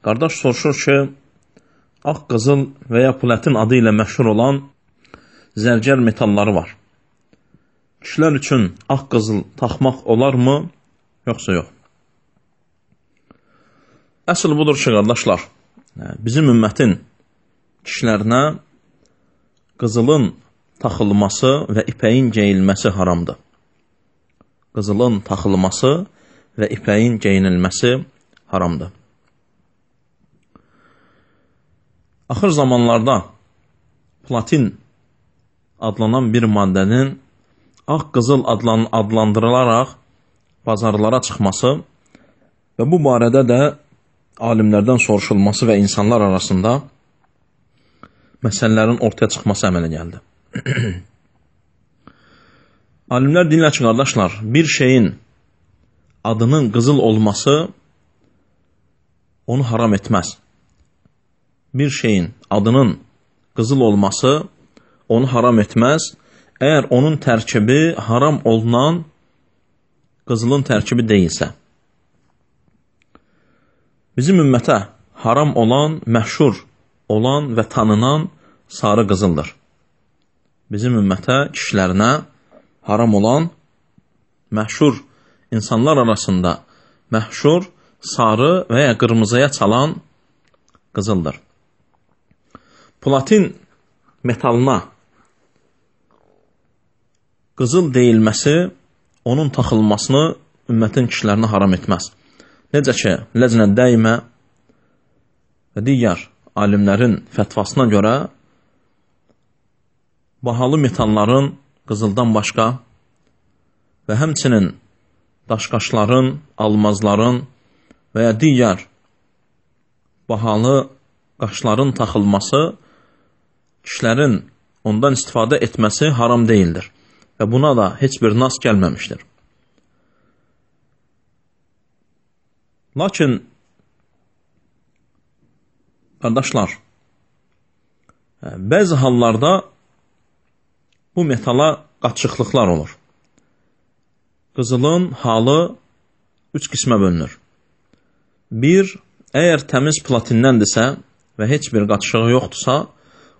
Qardaş soruşur ki, ağ qızıl və ya platin adı ilə məşhur olan zərgər metalları var. Kişilər üçün ağ qızıl taxmaq olarmı, yoxsa yox? Əsl budur ki, qardaşlar, bizim ümmətin kişilərinə qızılın taxılması və ipəyin geyilməsi haramdır. Qızılın taxılması və ipəyin geyinilməsi haramdır. Axır zamanlarda platin adlanan bir maddənin ağ qızıl adlandırılaraq bazarlara çıxması və bu barədə də alimlərdən soruşulması və insanlar arasında məsələlərin ortaya çıxması əmələ gəldi. Alimlər deyirlər ki, qardaşlar, bir şeyin adının qızıl olması onu haram etməz. Bir şeyin adının qızıl olması onu haram etməz, əgər onun tərkibi haram olunan qızılın tərkibi deyilsə. Bizim ümmətə haram olan, məşhur olan və tanınan sarı qızıldır. Bizim ümmətə, kişilərinə haram olan, məşhur insanlar arasında məşhur, sarı və ya qırmızıya çalan qızıldır. Platin metalına qızıl deyilməsi onun taxılmasını ümmətin kişilərinə haram etməz. Necə ki, Ləcnə Dəymə və digər alimlərin fətvasına görə bahalı metalların qızıldan başqa və həmçinin daşqaşların, almazların və ya digər bahalı qaşların taxılması kişilərin ondan istifadə etməsi haram deyildir və buna da heç bir nas gəlməmişdir. Lakin, qardaşlar, bəzi hallarda bu metala qaçıqlıqlar olur. Qızılın halı 3 qismə bölünür. Bir, əgər təmiz platinnəndirsə və heç bir qaçığı yoxdursa,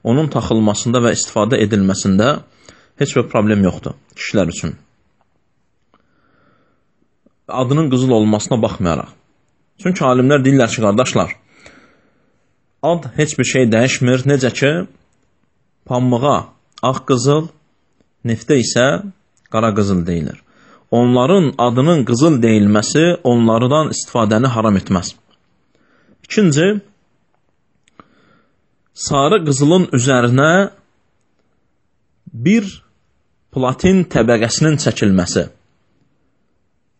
onun taxılmasında və istifadə edilməsində heç bir problem yoxdur kişilər üçün. Adının qızıl olmasına baxmayaraq. Çünki alimlər deyirlər ki, qardaşlar, ad heç bir şey dəyişmir. Necə ki, pambığa ağ qızıl, neftə isə qara qızıl deyilir. Onların adının qızıl deyilməsi onlardan istifadəni haram etməz. İkinci, sarı qızılın üzərinə bir platin təbəqəsinin çəkilməsi.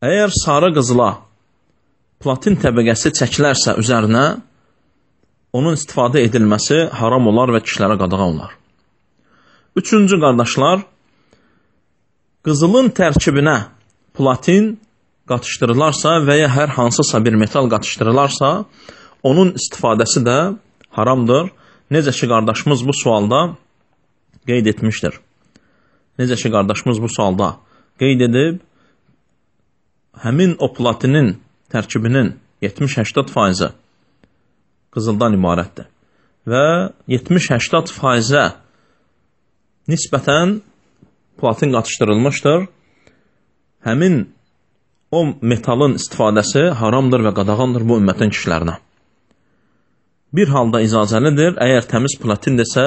Əgər sarı qızıla platin təbəqəsi çəkilərsə üzərinə, onun istifadə edilməsi haram olar və kişilərə qadağan olar. Üçüncü, qardaşlar, qızılın tərkibinə platin qatışdırılarsa və ya hər hansısa bir metal qatışdırılarsa, onun istifadəsi də haramdır. Necə ki, qardaşımız bu sualda qeyd etmişdir. Necə ki, qardaşımız bu sualda qeyd edib, həmin o platinin tərkibinin 70-80% qızıldan ibarətdir. Və 70-80% nisbətən platin qatışdırılmışdır. Həmin o metalın istifadəsi haramdır və qadağandır bu ümmətin kişilərinə. Bir halda icazəlidir, əgər təmiz platindirsə,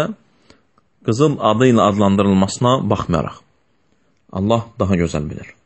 qızıl adı ilə adlandırılmasına baxmayaraq. Allah daha gözəl bilir.